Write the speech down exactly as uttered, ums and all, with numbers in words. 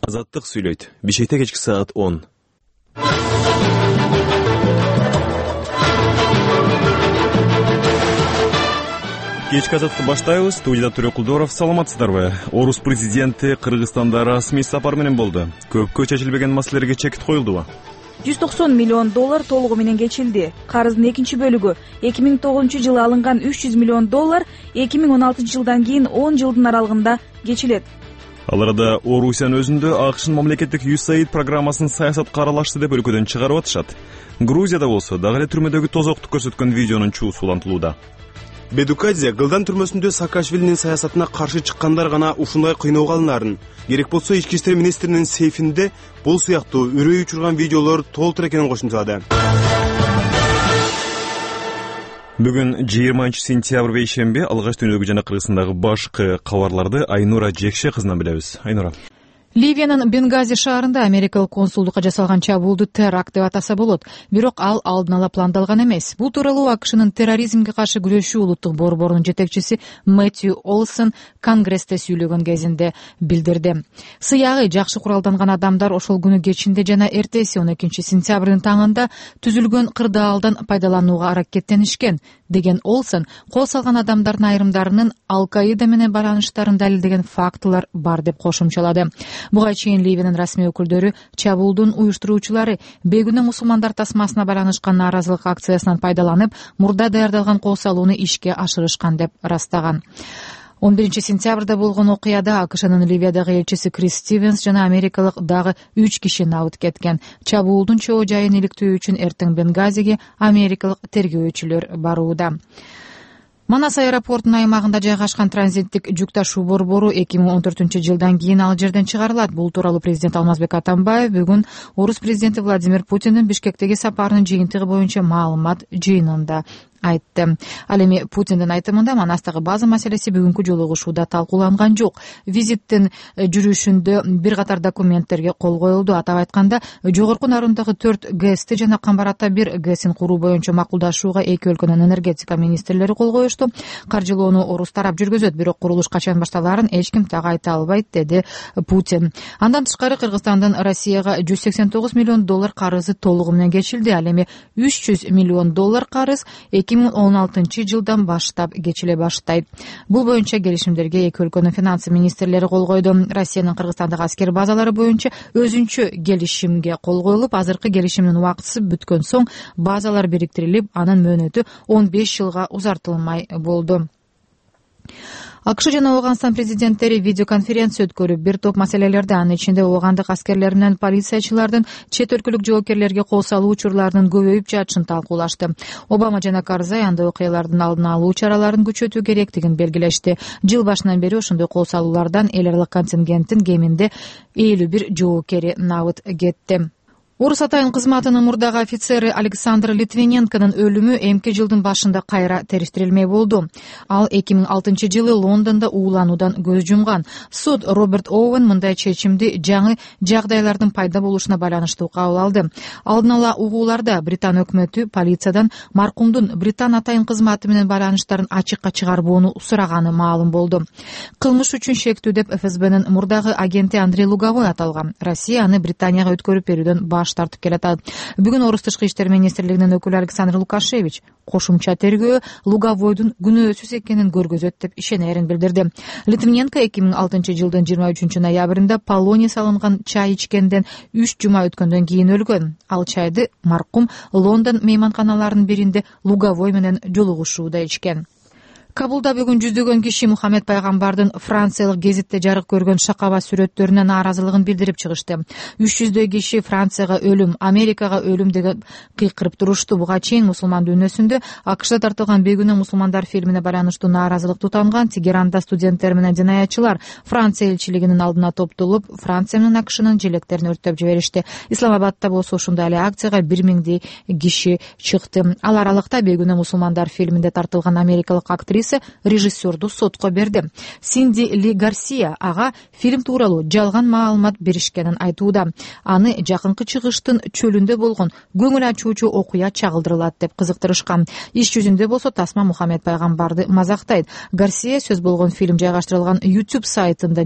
Азаттык сүйлөйт. Бишкекте кечки саат он. Кечки азаттыкты баштайбыз. Студияда Төрө Кулдоров. Саламатсыздарбы? Орус президенти Кыргызстанда расмий сапар менен болду. Көпкө чечилбеген маселелерге чекит коюлдубу? жүз токсон миллион доллар толугу менен кечилди. Карыздын экинчи бөлүгү эки миң тогузунчу жылы алынган үч жүз миллион доллар эки миң он алтынчы жылдан кийин он жылдын аралыгында кечилет. Ал арада Орусиянын өзүндө АКШнын мамлекеттик ю эс эй ай ди программасын саясатка аралашты деп өлкөдөн чыгарып атышат. Грузияда болсо дагы эле түрмөдөгү тозокту көрсөткөн видеонун чуусу улантылууда. Бедукадзе Гылдан түрмөсүндө Саакашвилинин саясатына каршы чыккандар гана ушундай кыйноого алынаарын, керек болсо ички иштер министринин сейфинде бул сыяктуу үрөй учурган видеолор толтур экенин кошумчалады. Бүгүн жыйырманчы сентябрь бейшемби алгач дүйнөлүк жана Кыргызстандагы башкы кабарларды Айнура Жекше кызынан билебиз. Айнура. Ливиянын Бенгази шаарында америкалык консулдукка жасалган чабуулду теракт деп атаса болот. Бирок ал алдын ала пландалган эмес. Бул тууралуу АКШнын терроризмге каршы күрөшүү улуттук борборунун жетекчиси Мэтью Олсон Конгрессте сүйлөгөн кезинде билдирди. Сыягы жакшы куралданган адамдар ошол күнү кечинде жана эртеси он экинчи сентябрдын таңында түзүлгөн кырдаалдан пайдаланууга аракеттенишкен деген Олсон, кол салган адамдардын айрымдарынын Ал-Каида менен байланыштарын далилдеген фактылар бар деп кошумчалады. Буга чейин Ливиянын расмий өкүлдөрү чабуулдун уюштуруучулары бейгүнөө мусулмандар тасмасына байланышкан нааразылык акциясынан пайдаланып, мурда даярдалган кол салууну ишке ашырышкан деп ырастаган. он биринчи сентябрда болгон окуяда АКШнын Ливиядагы элчиси Крис Стивенс жана америкалык дагы үч киши набыт кеткен. Чабуулдун чоо жайын иликтөө үчүн эртең Бенгазиге америкалык тергөөчүлөр барууда. Манас аэропортунун аймагында жайгашкан транзиттик жүк ташуу борбору эки миң он төртүнчү жылдан кийин ал жерден чыгарылат. Бул тууралуу президент Алмазбек Атамбаев бүгүн Орус президенти Владимир Путиндин Бишкектеги сапарынын жыйынтыгы боюнча маалымат жыйынында айтты. Ал эми Путиндин айтымында Манастагы база маселеси бүгүнкү жолугушууда талкууланган жок. Визиттин жүрүшүндө бир катар документтерге кол коюлду. Атап айтканда, жогорку Нарундагы төрт ГЭСти жана Камбарата бир ГЭСин куруу боюнча макулдашууга эки өлкөнүн энергетика министрлери кол коюшту. Каржылоону Орус тарап жүргүзөт, бирок курулуш качан башталаарын эч ким так айта албайт, деди Путин. Андан тышкары Кыргызстандын Россияга жүз сексен тогуз миллион доллар карызы толугу менен кечилди. Ал эми үч жүз миллион доллар карыз эки миң он алтынчы жылдан баштап кечиле баштайт. Бул боюнча келишимдерге эки өлкөнүн финансы министрлери кол койду. Россиянын Кыргызстандагы аскер базалары боюнча өзүнчө келишимге кол коюлуп, азыркы келишимдин убактысы бүткөн соң базалар бириктирилип, анын мөөнөтү он беш жылга узартылмай болду. АКШ жана Ооганстан президенттери видеоконференция өткөрүп, бир топ маселелерди, анын ичинде оогандык аскерлер менен полициячылардын чет өлкөлүк жоопкерлерге кол салуу учурларынын көбөйүп жатышын талкуулашты. Обама жана Карзай андай окуялардын алдын алуу чараларын күчөтүү керектигин белгилешти. Жыл башынан бери ошондой кол салуулардан эл аралык контингенттин кеминде элүү бир жоопкери набыт кетти. Орус атайын кызматынын мурдагы офицери Александр Литвиненконун өлүмү эмки жылдын башында кайра териштирилмей болду. Ал эки миң алтынчы жылы Лондондо уулануудан көз жумган. Суд Роберт Оуэн мындай чечимди жаңы жагдайлардын пайда болушуна байланыштуу кабыл алды. Алдын ала угууларда Британ өкмөтү полициядан маркумдун Британ атайын кызматы менен байланыштарын ачыкка чыгарбоону сураганы маалым болду. Кылмыш үчүн шектүү деп эф эс бнын мурдагы агенти Андрей Луговой аталган. Россия аны Британияга өткөрүп берүүдөн баш тартып келатат. Бүгүн Орус тышкы иштер министрлигинин өкүлү Александр Лукашевич кошумча тергөө Луговойдун күнөөсүз экенин көргөзөт деп ишенерин билдирди. Литвиненко эки миң алтынчы жылдын жыйырма үчүнчү ноябрында полоний салынган чай ичкенден үч жума өткөндөн кийин өлгөн. Ал чайды маркум Лондон мейманканаларынын биринде Луговой менен жолугушууда ичкен. Кабулда бүгүн жүздөгөн киши Мухаммед пайгамбардын франциялык гезитте жарык көргөн шакаба сүрөттөрүнө нааразылыгын билдирип чыгышты. үч жүздөй киши Францияга өлүм, Америкага өлүм деген кыйкырып турушту. Буга чейин мусулман дүйнөсүндө АКШда тартылган бейгүнөө мусулмандар фильмине байланыштуу нааразылык тутанган Тегеранда студенттер менен жинаятчылар Франция элчилигинин алдына топтолуп, Франция менен АКШнын желектерин өрттөп жиберишти. Исламабадта болсо ушундай эле акцияга бир миңдей киши чыкты. Ал аралыкта бейгүнөө мусулмандар фильминде тартылган америкалык актриса режиссерду сотко берди. Синди Ли Гарсия ага фильм тууралуу жалган маалымат беришкенин айтууда. Аны жакынкы чыгыштын чөлүндө болгон көңүл ачуучу окуя чагылдырылат деп кызыктырышкан. Иш жүзүндө болсо тасма Мухаммед пайгамбарды мазактайт. Гарсия сөз болгон фильм жайгаштырылган YouTube сайтында